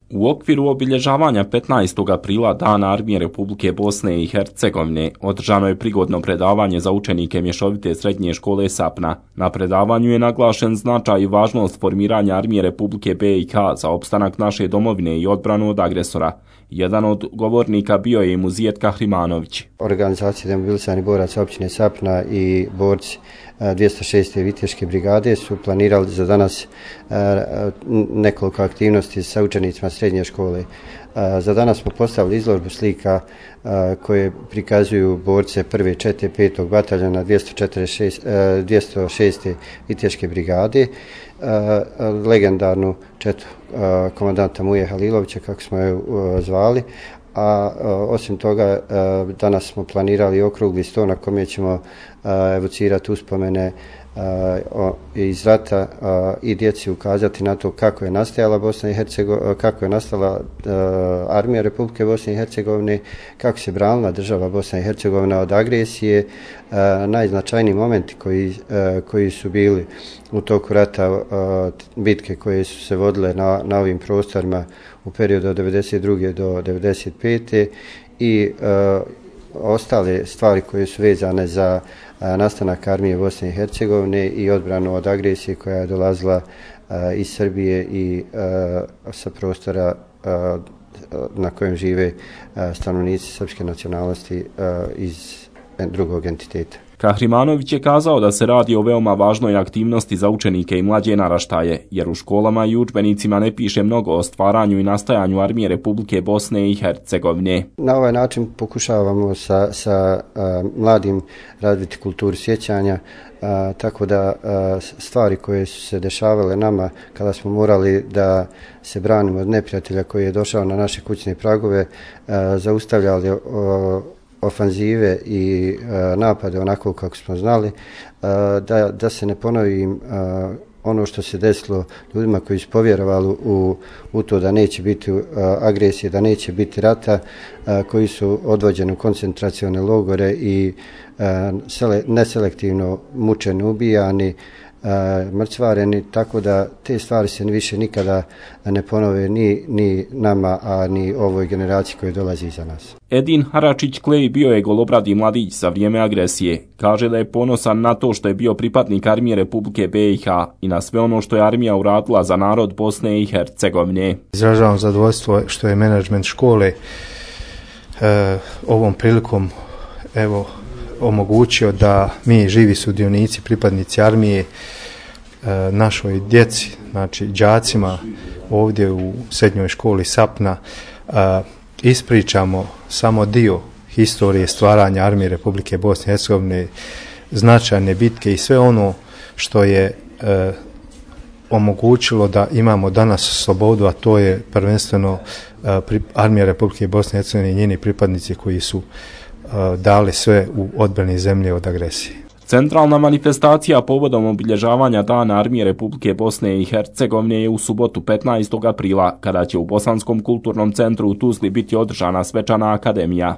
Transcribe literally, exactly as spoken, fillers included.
U okviru obilježavanja petnaestog aprila Dana armije Republike Bosne i Hercegovine održano je prigodno predavanje za učenike mješovite srednje škole Sapna. Na predavanju je naglašen značaj i važnost formiranja armije Republike B i K za opstanak naše domovine i odbranu od agresora. Jedan od govornika bio je i Muzijet Kahrimanović. Organizacija demobilisanih boraca općine Sapna i borci dvjesto šeste Viteške brigade su planirali za danas nekoliko aktivnosti sa učenicima srednje škole. Za danas smo postavili izložbu slika koje prikazuju borce prve čete petog bataljona dvjesto šeste Viteške brigade, legendarnu četu komandanta Muje Halilovića, kako smo je zvali. A osim toga, danas smo planirali okrugli sto na kome ćemo evocirati uspomene iz rata i djeci ukazati na to kako je nastajala Bosna i Hercegovina, kako je nastala armija Republike Bosne i Hercegovine, kako se branila država Bosna i Hercegovina od agresije, najznačajniji momenti koji, koji su bili u toku rata, bitke koje su se vodile na, na ovim prostorima u periodu od devedeset druge do devedeset pete i ostale stvari koje su vezane za nastanak armije Bosne i Hercegovine i odbranu od agresije koja je dolazila iz Srbije i sa prostora na kojem žive stanovnici srpske nacionalnosti iz drugog entiteta. Kahrimanović je kazao da se radi o veoma važnoj aktivnosti za učenike i mlađe naraštaje, jer u školama i udžbenicima ne piše mnogo o stvaranju i nastajanju armije Republike Bosne i Hercegovine. Na ovaj način pokušavamo sa, sa a, mladim razviti kulturu sjećanja, a, tako da a, stvari koje su se dešavale nama kada smo morali da se branimo od neprijatelja koji je došao na naše kućne pragove, a, zaustavljali o, ofanzive i uh, napade onako kako smo znali, uh, da, da se ne ponovi uh, ono što se desilo ljudima koji su povjerovali u, u to da neće biti uh, agresije, da neće biti rata, uh, koji su odvođeni u koncentracione logore i uh, sele, neselektivno mučeni, ubijani, Uh, mrcvareni, tako da te stvari se više nikada ne ponove ni, ni nama, a ni ovoj generaciji koja dolazi iza nas. Edin Haračić-Klej bio je golobradi mladić za vrijeme agresije. Kaže da je ponosan na to što je bio pripadnik armije Republike B i K i na sve ono što je armija uradila za narod Bosne i Hercegovine. Izražavam zadovoljstvo što je menadžment škole uh, ovom prilikom evo omogućio da mi živi sudionici, pripadnici armije, e, našoj djeci, znači đacima ovdje u srednjoj školi Sapna, e, ispričamo samo dio historije stvaranja armije Republike Bosne i Hercegovine, značajne bitke i sve ono što je e, omogućilo da imamo danas slobodu, a to je prvenstveno e, pri, armija Republike Bosne i Hercegovine i njeni pripadnici koji su dali sve u odbrani zemlje od agresije. Centralna manifestacija povodom obilježavanja Dana armije Republike Bosne i Hercegovine je u subotu petnaestog aprila, kada će u Bosanskom kulturnom centru u Tuzli biti održana svečana akademija.